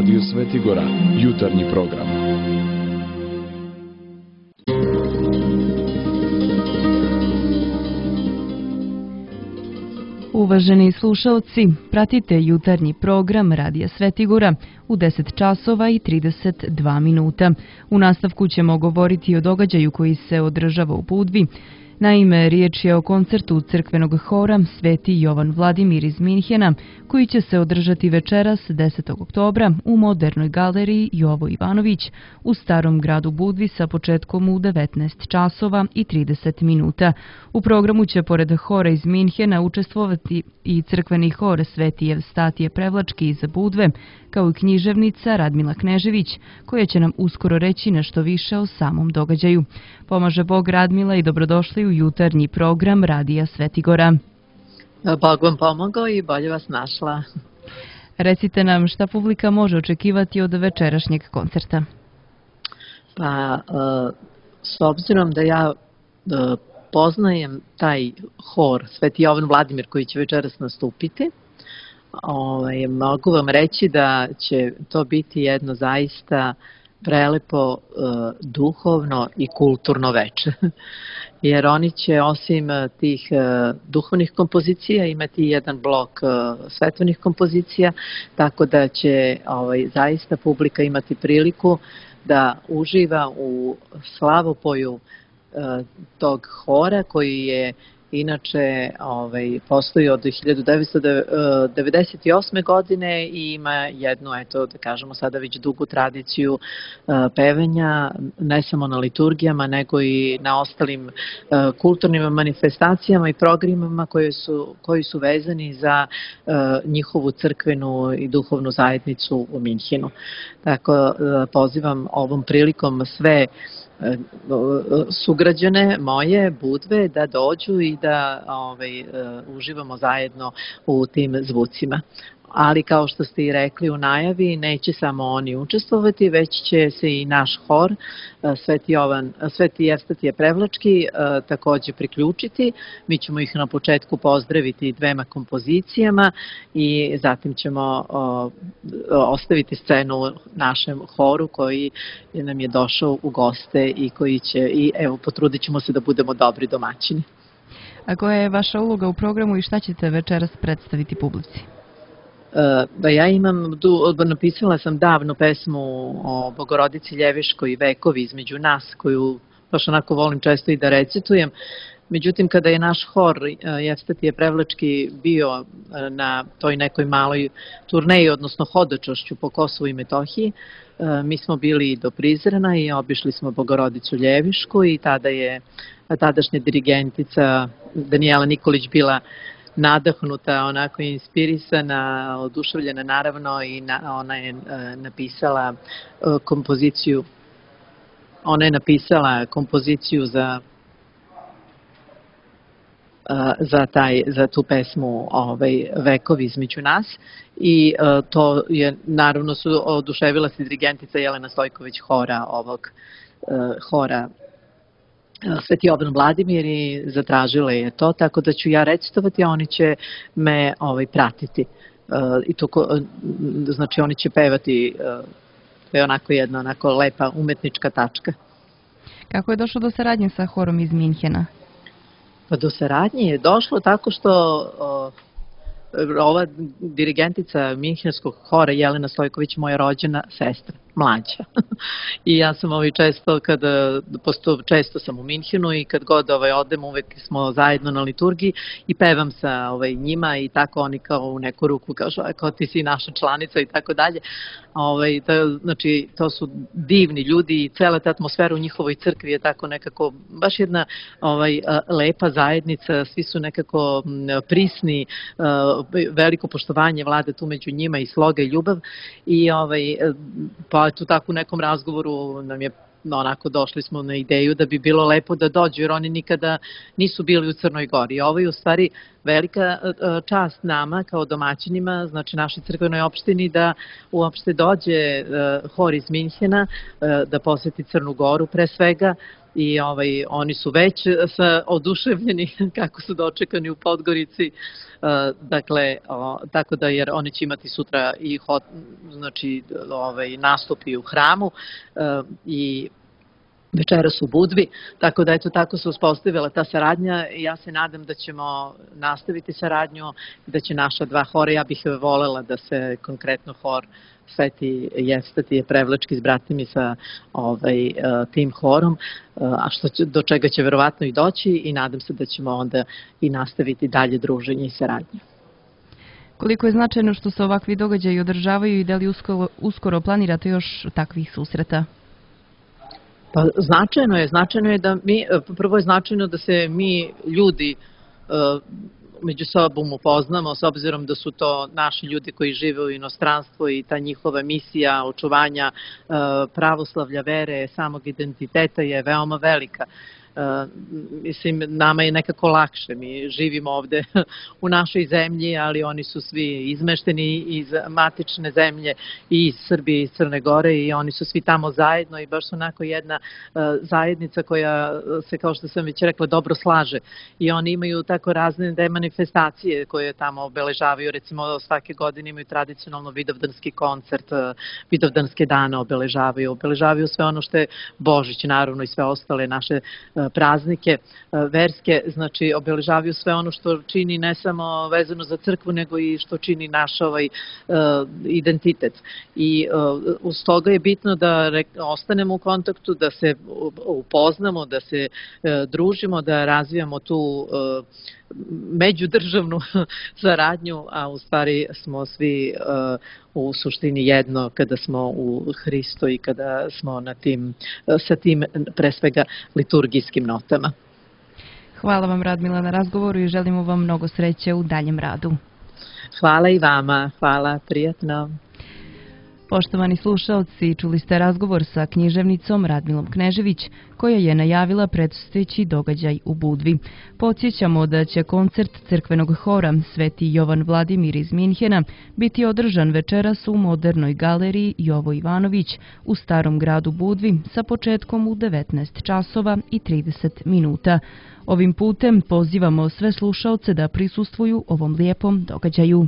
Radio Svetigora, jutarnji program. Uvaženi slušalci, pratite jutarnji program Radija Svetigora u 10 časova i 32 minuta. U nastavku ćemo govoriti o događaju koji se održava u Budvi. Naime, riječ je o koncertu crkvenog hora Sveti Jovan Vladimir iz Minhena, koji će se održati večeras 10. oktobra u Modernoj galeriji Jovo Ivanović u Starom gradu Budvi sa početkom u 19 časova i 30 minuta. U programu će pored hora iz Minhena učestvovati i crkveni hor Sveti Evstatije Prevlački iz Budve, kao i književnica Radmila Knežević, koja će nam uskoro reći nešto više o samom događaju. Pomaže Bog Radmila i dobrodošli u jutarnji program Radija Svetigora. Bog vam pomogao i bolje vas našla. Recite nam šta publika može očekivati od večerašnjeg koncerta. Pa, s obzirom da ja poznajem taj hor Sveti Jovan Vladimir koji će večeras nastupiti, mogu vam reći da će to biti jedno zaista prelepo duhovno i kulturno veče. Jer oni će osim tih duhovnih kompozicija imati jedan blok svetovnih kompozicija, tako da će zaista publika imati priliku da uživa u slavopoju tog hora koji je inače postoji od 1998. godine i ima jednu, da kažemo sada već dugu tradiciju pevenja, ne samo na liturgijama, nego i na ostalim kulturnim manifestacijama i programima koji su vezani za njihovu crkvenu i duhovnu zajednicu u Minhenu. Tako pozivam ovom prilikom sve sugrađane moje Budve da dođu i da uživamo zajedno u tim zvucima. Ali kao što ste i rekli u najavi, neće samo oni učestvovati, već će se i naš hor Sveti Evstatije Prevlački također priključiti. Mi ćemo ih na početku pozdraviti dvema kompozicijama i zatim ćemo ostaviti scenu našem horu koji nam je došao u goste i koji će, potrudit ćemo se da budemo dobri domaćini. A koja je vaša uloga u programu i šta ćete večeras predstaviti publici? Ja napisala sam davno pesmu o Bogorodici Ljeviškoj i Vekovi između nas, koju baš onako volim često i da recitujem. Međutim, kada je naš hor Evstatije Prevlački bio na toj nekoj maloj turneji, odnosno hodočašću po Kosovu i Metohiji, mi smo bili do Prizrena i obišli smo Bogorodicu Ljevišku i tada je tadašnja dirigentica Danijela Nikolić bila nadahnuta, onako inspirisana, oduševljena naravno i ona je napisala kompoziciju. Ona je napisala kompoziciju za tu pesmu Vekovi između nas i to je naravno su oduševila se dirigentica Jelena Stojković ovog hora Sveti Jovan Vladimir i zatražila je to, tako da ću ja recitovati, a oni će me pratiti. Znači oni će pevati, to je onako jedna lepa umetnička tačka. Kako je došlo do saradnje sa horom iz Minhena? Pa do saradnje je došlo tako što ova dirigentica Minhenskog hora Jelena Stojković, moja rođena sestra, mlađa. I ja sam često sam u Minhenu i kad god odem uvek smo zajedno na liturgiji i pevam sa njima i tako oni kao u neku ruku kažu kao ti si naša članica i tako dalje. Znači to su divni ljudi i cela ta atmosfera u njihovoj crkvi je tako nekako baš jedna lepa zajednica, svi su nekako prisni, veliko poštovanje vlada tu među njima i sloga i ljubav i pa tu tako u nekom razgovoru nam je onako došli smo na ideju da bi bilo lepo da dođu jer oni nikada nisu bili u Crnoj Gori. Ovo je u stvari velika čast nama kao domaćinima, znači našoj crkvenoj opštini da uopšte dođe hor iz Minhena da poseti Crnu Goru pre svega i oni su već oduševljeni kako su dočekani u Podgorici. Dakle, tako da, jer oni će imati sutra i znači nastupi u hramu i večeras u Budvi, tako da eto tako se uspostavila ta saradnja i ja se nadam da ćemo nastaviti saradnju, da će naša dva hora, ja bih volela da se konkretno hor Sveti Jefstatije Prevlački zbrati sa tim horom, a do čega će verovatno i doći i nadam se da ćemo onda i nastaviti dalje druženje i saradnje. Koliko je značajno što se ovakvi događaji održavaju i da li uskoro planirate još takvih susreta? Pa značajno je da prvo je značajno da se mi ljudi među sobom upoznamo, s obzirom da su to naši ljudi koji žive u inostranstvu i ta njihova misija očuvanja pravoslavlja, vere, samog identiteta je veoma velika. Mislim, nama je nekako lakše, mi živimo ovde u našoj zemlji, ali oni su svi izmešteni iz matične zemlje i iz Srbije i iz Crne Gore i oni su svi tamo zajedno i baš su onako jedna zajednica koja se, kao što sam već rekla, dobro slaže i oni imaju tako razne manifestacije koje tamo obeležavaju, recimo svake godine imaju tradicionalno vidovdanski koncert, vidovdanske dane obeležavaju sve ono što je Božić, naravno i sve ostale naše praznike verske, znači obeležavaju sve ono što čini ne samo vezano za crkvu, nego i što čini naš identitet. I uz toga je bitno da ostanemo u kontaktu, da se upoznamo, da se družimo, da razvijamo tu međudržavnu saradnju, a u stvari smo svi u suštini jedno kada smo u Hristu i kada smo sa tim pre svega liturgijskim notama. Hvala vam, Radmila, na razgovoru i želimo vam mnogo sreće u daljem radu. Hvala i vama, hvala, prijatno. Poštovani slušaoci, čuli ste razgovor sa književnicom Radmilom Knežević, koja je najavila predstojeći događaj u Budvi. Podsjećamo da će koncert crkvenog hora Sveti Jovan Vladimir iz Minhena biti održan večeras u Modernoj galeriji Jovo Ivanović u Starom gradu Budvi sa početkom u 19 časova i 30 minuta. Ovim putem pozivamo sve slušaoce da prisustvuju ovom lijepom događaju.